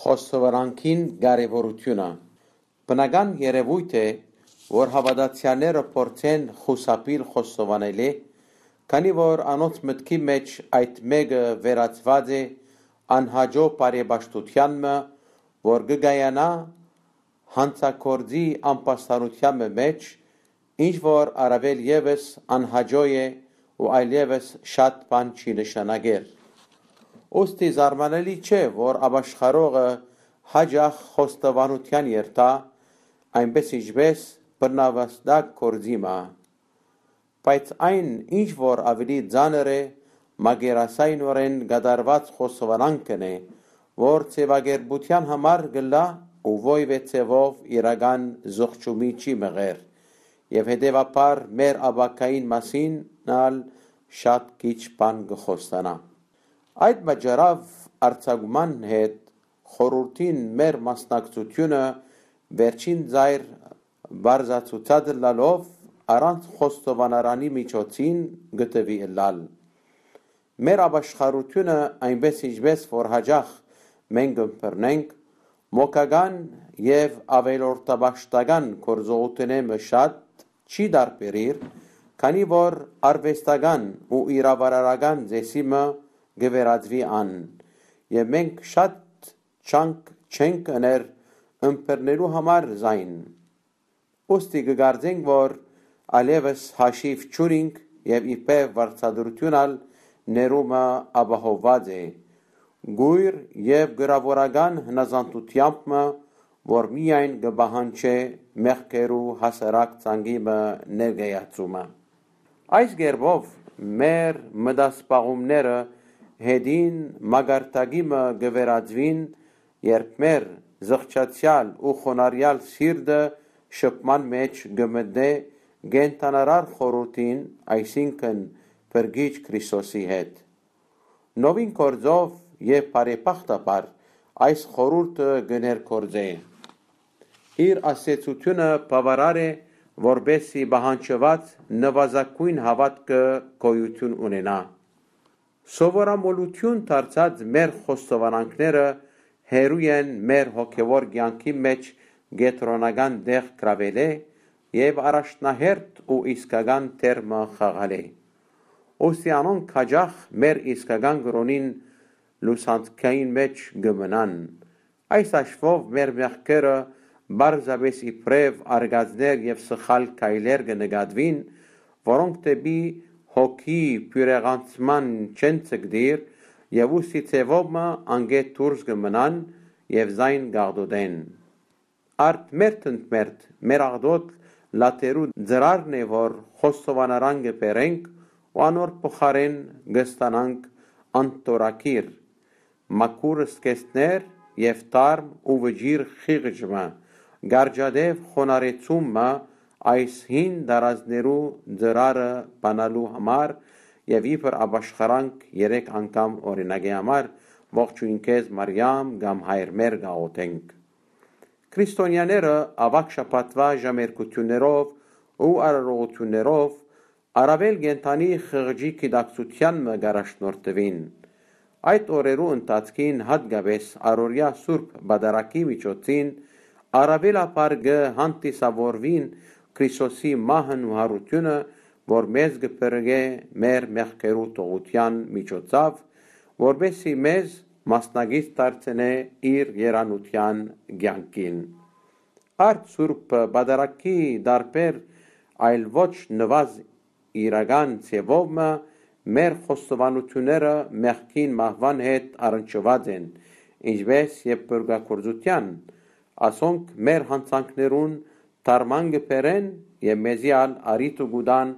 Խոստովանանքին կարևորությունը։ Բնական երևույթ է, որ հավատացյալները փորձեն խուսափել խոստովանելի, քանի որ անոնց մտքի մեջ այդ մեկը վերածված է անհաջող բարեպաշտությանը, որ կգայանա հանցագործի անպաստառության մեջ, ինչ որ առավել ևս անհաջող է ու այլևս շատ բան չի նշանակեր։ Ուստի զարմանալի չէ, որ ապաշխարողը հաճախ խոստովանության երթա, այնպես ինչպես բռնավաստակ գործիմը, բայց այն, ինչ որ ավելի ծանր է, մակերեսայնորեն կատարված խոստովանանքն է, որ ձևակերպության համար գլա ու ոյվե ձևով իրական զղջումի չի մղեր, և հետևաբար մեր ապագային մասին շատ քիչ բան կխոստանա։ Այդ պատճառով արձակման հետ խորհրդին մեր մասնակցությունը վերջին ծայր բարձրացուցած լալով առանց խոստովանարանի միջոցին գտվի լալ։ Մեր ապաշխարությունը այնպես ինչպես որ հաճախ մենք ըմբռնենք մոգական և ավելորդաբաշխական գործողությունները շատ չի տարբերիր, քանի որ արվեստական ու իրավարարական ծեսիմը գվերածվի ան, և մենք շատ չանք չենք ըներ ըմբռնելու համար զայն։ Ուստի կկարծենք, որ այլևս հաշիվ չունենք և իբրև վարձատրությունալ ներումը ապահովված է, գույր և գրավորական հնազանդությամբ, որ միայն կպահանջե մեղքերու հասարակ ծանգիմը ներկայացումը։ Այս կերպով մեր մտասպաղումները հետին մակարդակիմը կվերածվին, երբ մեր զղջացյալ ու խոնարհյալ սիրտը շփման մեջ կմտնե կենդանարար խորհրդին, այսինքն Փրկիչ Քրիստոսի հետ։ Նովին գործով և բարեբախտաբար այս խորհուրդը կներգործե։ Իր ասեցությունը բավարար է, որպեսզի պահանջված նվազագույն հավատքը գոյություն ունենա։ Սովորամոլություն դարձած մեր խոստովանանքները հեռու են մեր հոգևոր կյանքի մեջ կենտրոնական տեղ գրավելը և առաջնահերթ ու իսկական դերմը խաղալը։ Ուստի անոնք հաճախ մեր իսկական կրոնին լուսանցքային մեջ կմնան։ Այս հաշվով մեր մեղքերը պարզապես իբրև արգածներ և սխալ քայլեր կնկատվին, որոնք դեպի հոգի բյուրեղացման չեն ցկտիր, և ուստի ձևովը անգետ դուրս կմնան և զայն կաղտոտեն։ Արդ մերթընդմերթ մեր աղտոտ լատերու ծրարն է, որ խոստովանարան կբերենք ու անոր փոխարեն կստանանք անտորակիր, մաքուր զգեստներ և թարմ ու վճիռ խիղճը, գարջադեպ խոնարհեցումը այս հին տարազներու ծրարը բանալու համար և իբր ապաշխարանք 3 անգամ օրինակի համար ողջույն քեզ Մարիամ կամ Հայր մեր գաղութենք։ Քրիստոնյաները ավագ շաբաթվա ժամերկություններով ու արարողություններով առավել կենդանի խղճի գիտակցությանն կառաջնորդվին։ Այդ օրերու ընթացքին հատկապես առօրյա սուրբ պատարագի միջոցին առավելաբար կհանդիսավորվին Քրիստոսի մահն ու հարությունը, որ մեզ կփրկե մեր մեղքերու թողության միջոցով, որպեսզի մեզ մասնակից դարձնե իր երանության կյանքին։ Արդ սուրբ պատարագի տարբեր այլ ոչ նվազ իրական ձևով մեր խոստովանությունները մեղքին մահվան հետ առնչված են, ինչպես և փրկagorցության, ասոնք մեր հանցանքներուն թարման կբերեն և մեզի առիթ կտան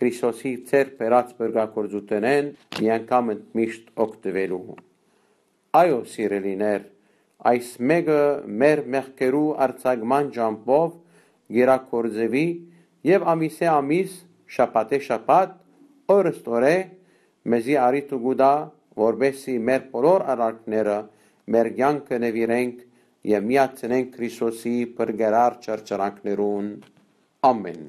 Քրիստոսի ձեռք բերած փրկagorցութենեն միանգամ ընդմիշտ օգտվելու։ Այո, սիրելիներ, այս մեկը մեր մեղքերու արձակման ճամփով գերակորձվի և ամիսե ամիս, շաբաթե շաբաթ, օրըստ օրե մեզի առիթ կտա, որպեսզի մեր բոլոր արարքները մեր կյանքը նվիրենք և միացնենք Քրիստոսի փրկարար ճռճռանքներուն։ Ամեն։